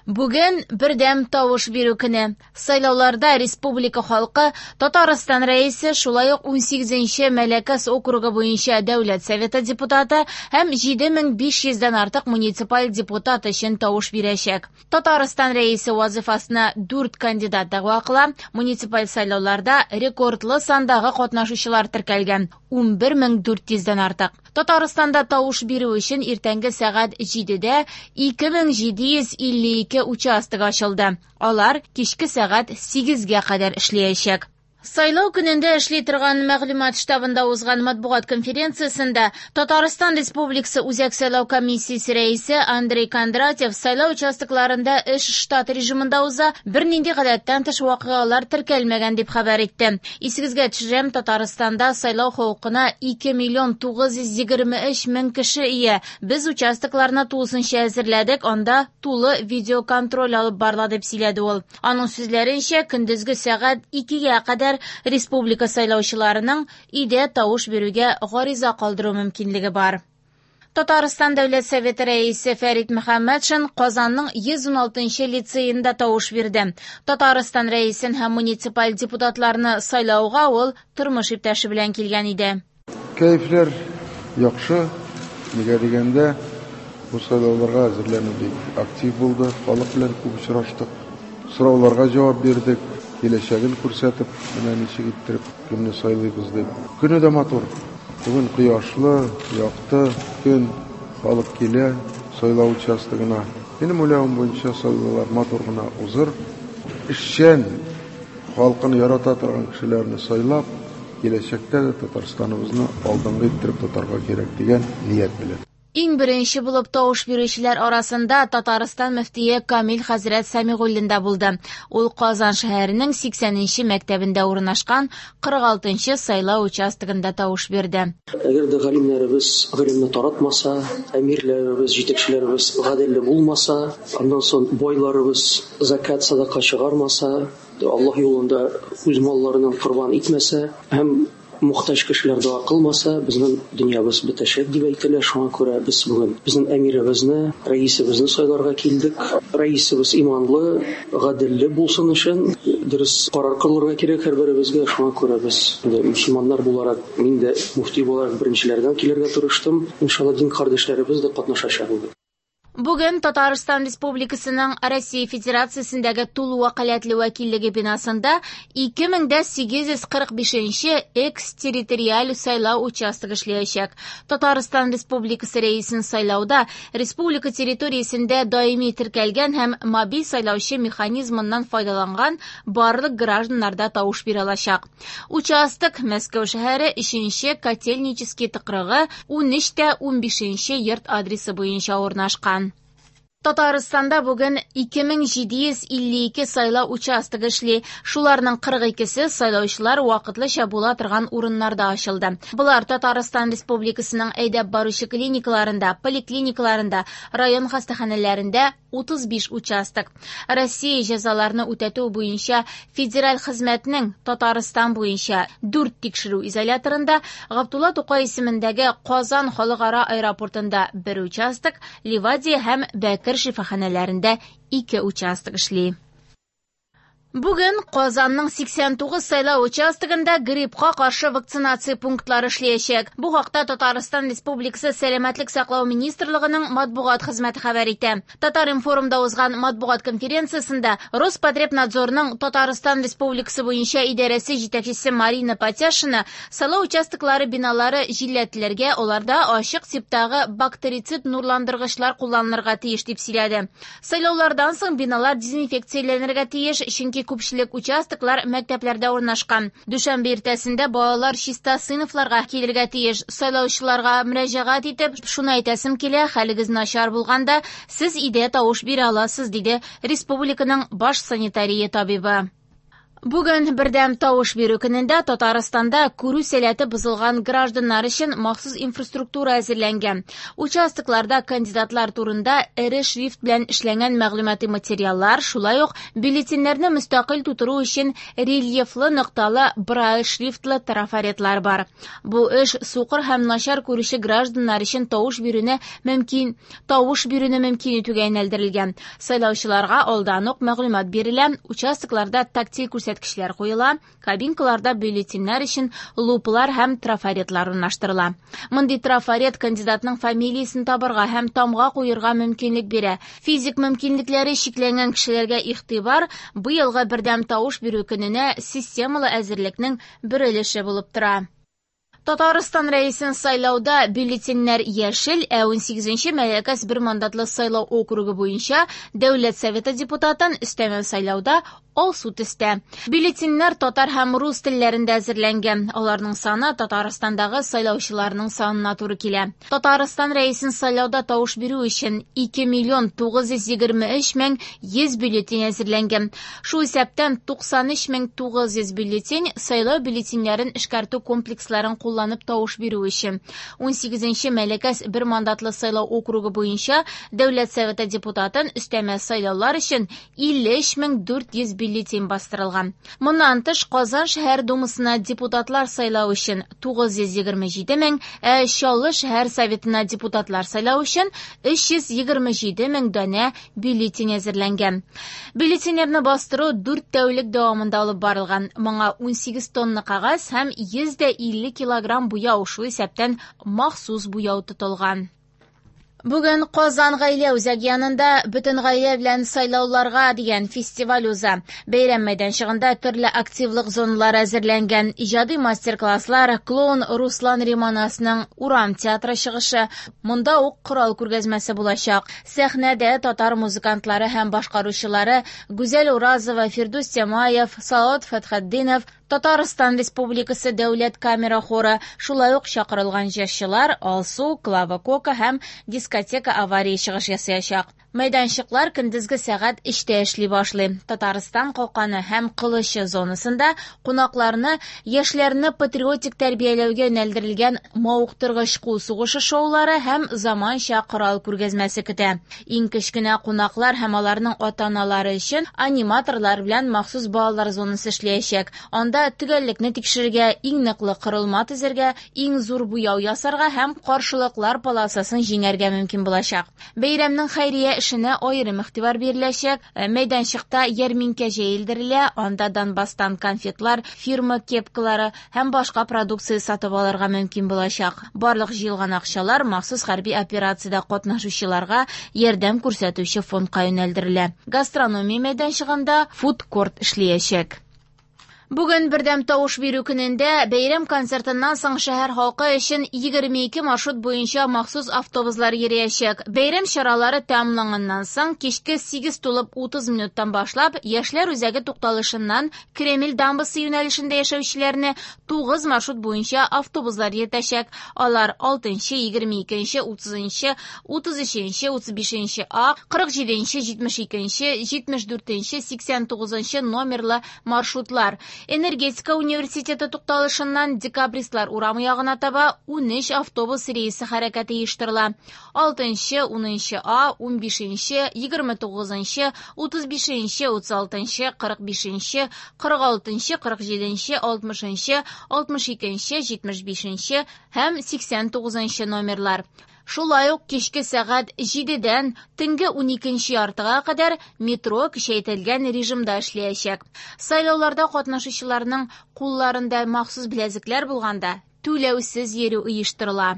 Бүген бердәм тавыш бирү көне. Сайлауларда республика халкы Татарстан Рәисе, шулай ук 18нче Мәләкәс округы буенча Дәүләт Советы депутаты һәм 7500 дән артык муниципаль депутат өчен тавыш бирәчәк. Татарстан Рәисе вазифасына 4 кандидат дәгъва кыла. Муниципаль сайлауларда рекордлы сандагы катнашучылар теркәлгән 11400 дән артык. Татарстанда тавыш бирү өчен иртәнге сәгать 7дә 2752 участок ачылды. Алар кичке сәгать 8гә кадәр эшләячәк. Сайлау көнендә эшли торган мәгълүмат штабында узган матбугат конференциясендә Татарстан Республикасы Үзәк сайлау комиссиясе рәисе Андрей Кондратьев сайлау участокларында эш штат режимында уза, бернинди гадәттән тыш вакыйгалар теркәлмәгән дип хәбәр итте. Исегезгә төшерәм, Татарстанда сайлау хокукына 2 миллион 923 мең кеше ия. Без участокларны тулысынча әзерләдек, анда тулы видеоконтроль алып барыла дип сөйләде ул. Аның сүзләренчә, көндезге сәгать 2гә кадәр республика сайлаучыларының өйдә тавыш бирүгә гариза калдыру мөмкинлеге бар. Татарстан Дәүләт Советы рәисе Фәрит Мөхәммәтшин Казанның 116нчы лицеенда тавыш бирде. Татарстан рәисен һәм муниципаль депутатларны сайлауга ул тормыш иптәше белән килгән иде. Кәефләр яхшы, нигә дигәндә, бу сайлауларга әзерләнү бик актив булды, халык белән күп очраштык, сорауларга җавап бирдек, киләчәген күрсәтеп, менә ничек иттереп кемне сайлыйбыз дип. Көне дә матур. Бүген кояшлы, якты көн, халык килә сайлау участогына. Минем уйлавым буенча сайлаулар матур гына узыр. Эшчән, халкын ярата торган кешеләрне сайлап, киләчәктә дә Татарстаныбызны алдынгы иттереп тотарга кирәк дигән ният белән. Иң беренче булып тавыш бирүчеләр арасында Татарстан мөфтие Камил хәзрәт Сәмигуллин да булды. Ул Казан шәһәренең 80нче мәктәбендә урнашкан 46нчы сайлау участогында тавыш бирде. Әгәр дә галимнәребез гыйлемне таратмаса, әмирләребез, җитәкчеләребез гаделле булмаса, аннан соң байларыбыз закат, садака чыгармаса, Аллаһ юлында үз малларыннан корбан итмәсә һәм мохтаҗ кешеләр дога кылмаса, безнең дөньябыз бетәчәк дип әйтелә. Шуңа күрә без бүген безнең әмиребезне, рәисебезне сайларга килдек. Рәисебез иманлы, гаделле булсын өчен дөрес карар кылырга кирәк һәрберебезгә. Шуңа күрә без инде мөселманнар буларак, мин дә мөфти буларак беренчеләрдән килергә тырыштым. Иншалла, дин кардәшләребез дә катнашачак бүген. Бүген Татарстан Республикасының Россия Федерациясендәге тулы вәкаләтле вәкиллеге бинасында 2845 экс-территориаль сайлау участогы эшләячәк. Татарстан Республикасы рәисен сайлауда республика территориясендә даими теркәлгән һәм мобиль сайлаучы механизмыннан файдаланган барлык гражданнар да тавыш бирә алачак. Участок Мәскәү шәһәре 3нче Котельнический тыкрыгы 13-15 йорт адресы буенча урнашкан. Татарстанда бүген 2752 сайлау участогы эшли. Шуларның 42-се сайлаучылар вакытлыча була торган урыннарда ачылды. Болар Татарстан Республикасының әйдәп баручы клиникаларында, поликлиникаларында, район хастаханәләрендә 35 участок. Россия җәзаларны үтәтү буенча федераль хезмәтнең Татарстан буенча 4 тикшерү изоляторында, Габдулла Тукай исемендәге Казан халыкара аэропортында 1 участок, Ливадия һәм Бәкер шифаханәләрендә 2 участок эшли. Бүген Казанның 89 сайлау участогында гриппка каршы вакцинация пунктлары эшләячәк. Бу хакта Татарстан Республикасы Сәламәтлек саклау министрлыгының матбугат хезмәте хәбәр итә. Татар-информда узган матбугат конференциясендә Роспотребнадзорның Татарстан Республикасы буенча идарәсе җитәкчесе Марина Патяшина сайлау участоклары биналары җилләтелергә, аларда ачык типтагы бактерицид нурландыргычлар кулланылырга тиеш дип сөйләде. Сайлаулардан соң биналар дезинфекцияләнергә тиеш, чөнки күпчелек участоклар мәктәпләрдә урнашкан. Дүшәмбе иртәсендә балалар чиста сыйныфларга килергә тиеш. Сайлаучыларга мөрәҗәгать итеп, шуны әйтәсем килә, хәлегез начар булганда, сез өйдә тавыш бирә аласыз, диде республиканың баш санитария табибы. Бүген бердәм тавыш бирү көнендә Татарстанда күрү сәләте бозылган гражданнар өчен махсус инфраструктура әзерләнгән. Участокларда кандидатлар турында эре шрифт белән эшләнгән мәгълүмати материаллар, шулай ук бюллетеньнәрне мөстәкыйль тутыру өчен рельефлы нокталы брайль шрифтлы трафаретлар бар. Бу эш сукыр һәм начар күрүче гражданнар өчен тавыш бирүне мөмкин итүгә юнәлдерелгән. Сайлаучыларга алдан ук мәгълүмат бирелә, участокларда тактиль күрсәткечләр куела, кабинкаларда бюллетеньнәр өчен лупалар һәм трафаретлар урнаштырыла. Мондый трафарет кандидатның фамилиясен табарга һәм тамга куерга мөмкинлек бирә. Физик мөмкинлекләре чикләнгән кешеләргә игътибар быелгы бердәм тавыш бирү көненә системалы әзерлекнең бер өлеше булып тора. Татарстан рәисен сайлауда бюллетеньнәр яшел, ә 18-нче Мәләкәс бер мандатлы сайлау округы буенча Дәүләт Советы депутатын өстәмә сайлауда алсу төстә. Бюллетеньнәр татар һәм рус телләрендә әзерләнгән. Аларның саны Татарстандагы сайлаучыларның санына туры килә. Татарстан рәисен сайлауда тавыш бирү өчен 2 923 100 бюллетень әзерләнгән. Шул исәптән 93 900 бюллетень сайлау бюллетеньнәрен эшкәртү комплексларын кулланып тавыш бирү өчен. 18-нче Мәләкәс бер мандатлы сайлау округы буенча Дәүләт Советы депутатын өстәмә сайлаулар өчен 53 400 бюллетень бастырылган. Моннан тыш Казан шәһәр думасына депутатлар сайлау өчен 927 мең, ә Чаллы шәһәр советына депутатлар сайлау өчен 327 мең данә бюллетень әзерләнгән. Бюллетеньнәрне бастыру 4 тәүлек дәвамында алып барылган. Моңа 18 тонна кәгазь һәм 150 килограмм буяу, шул исәптән махсус буяу тотылган. Бүген Казан гаилә үзәге янында бөтен гаилә белән сайлауларга дигән фестиваль уза. Бәйрәм мәйданчыгында төрле активлык зоналары әзерләнгән. Иҗади мастер-класслар, клоун Руслан Риманасның урам театры чыгышы, монда ук корал күргәзмәсе булачак. Сәхнәдә татар музыкантлары һәм башкаручылары Гүзәл Уразова, Фирдүс Тямаев, Салават Фәтхетдинов, Татарстан Республикасы Дәүләт камера хоры, шулай ук чакырылган җырчылар Алсу, Клава Кока һәм дискотека авария чыгыш ясаячак. Мәйданчыклар көндезге сәгать 3-тә эшли башлый. Татарстан калканы һәм кылычы зонасында кунакларны яшьләрне патриотик тәрбияләүгә юнәлдерелгән мавыктыргыч кул сугышы шоулары һәм заманча корал күргәзмәсе көтә. Иң кечкенә кунаклар һәм аларның ата-аналары өчен аниматорлар белән махсус балалар зонасы эшләячәк. Анда төгәллекне тикшерергә, иң ныклы корылма төзергә, иң зур буяу ясарга һәм каршылыклар полосасын җиңәргә мөмкин булачак. Бәйрәмнең хәйрия эшенә аерым игътибар биреләчәк. Мәйданчыкта ярминкә җәелдерелә, анда Донбасстан конфетлар, фирма кепкалары һәм башка продукция сатып алырга мөмкин булачак. Барлык җыелган акчалар махсус хәрби операциядә катнашучыларга ярдәм күрсәтүче фондка юнәлдерелә. Гастрономия мәйданчыгында фуд-корт эшләячәк. Бүген бердәм тавыш бирү көнендә бәйрәм концертыннан соң шәһәр халкы өчен 22 маршрут буенча махсус автобуслар йөриячәк. Бәйрәм чаралары тәмамланганнан соң кичке 8:30 минуттан башлап Яшьләр үзәге тукталышыннан Кремль дамбасы юнәлешендә яшәүчеләрне 9 маршрут буенча автобуслар йөртәчәк. Алар 6-нчы, 22-нче, 30-нчы, 33-нче, 35-нче А, 47-нче, 72-нче, 74-нче, 89-нчы номерлы маршрутлар. Энергетика университеты тукталышыннан Декабристлар урамы ягына таба 13 автобус рейсы хәрәкәте оештырыла. 6-нчы, 10-нчы А, 15-нче, 29-нчы, 35-нче, 36-нчы, 45-нче, 46-нчы, 47-нче, 60-нчы, 62-нче, 75-нче һәм 89-нчы номерлар. Шулай ук кичке сәгать 7-дән төнге 12:30 кадәр метро көчәйтелгән режимда эшләячәк. Сайлауларда катнашучыларның кулларында махсус беләзекләр булганда түләүсез йөрү оештырыла.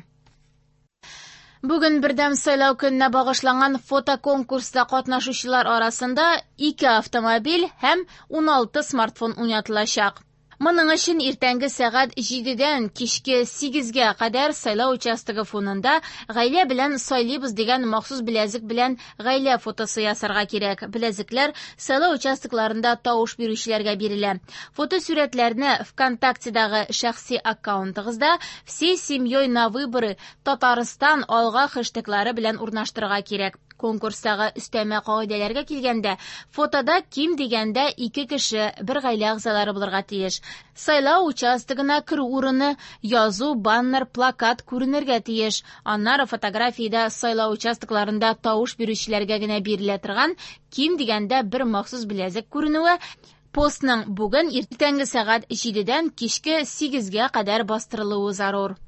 Бүген бердәм сайлау көненә багышланган фотоконкурста катнашучылар арасында 2 автомобиль һәм 16 смартфон уйнатылачак. Моның өчен иртәнге сәгать 7-дән кичке 8-гә кадәр сайлау участогы фонында гаилә белән сайлыйбыз дигән махсус беләзек белән гаилә фотосы ясарга кирәк. Беләзекләр сайлау участокларында тавыш бирүчеләргә бирелә. Фотосурәтләрне ВКонтактедагы шәхси аккаунтыгызда «Всей семьей на выборы Татарстан алга» хэштеглары белән урнаштырырга кирәк. Конкурстагы өстәмә кагыйдәләргә килгәндә, фотода ким дигәндә ике кеше, бер гаилә әгъзалары булырга тиеш. Сайлау участогына керү урыны, язу, баннер, плакат күренергә тиеш. Аннары фотографиядә сайлау участокларында тавыш бирүчеләргә генә бирелә торган ким дигәндә бер махсус беләзек күренүе, постның бүген иртәнге сәгать 7дән кичке 8гә кадәр бастырылуы зарур.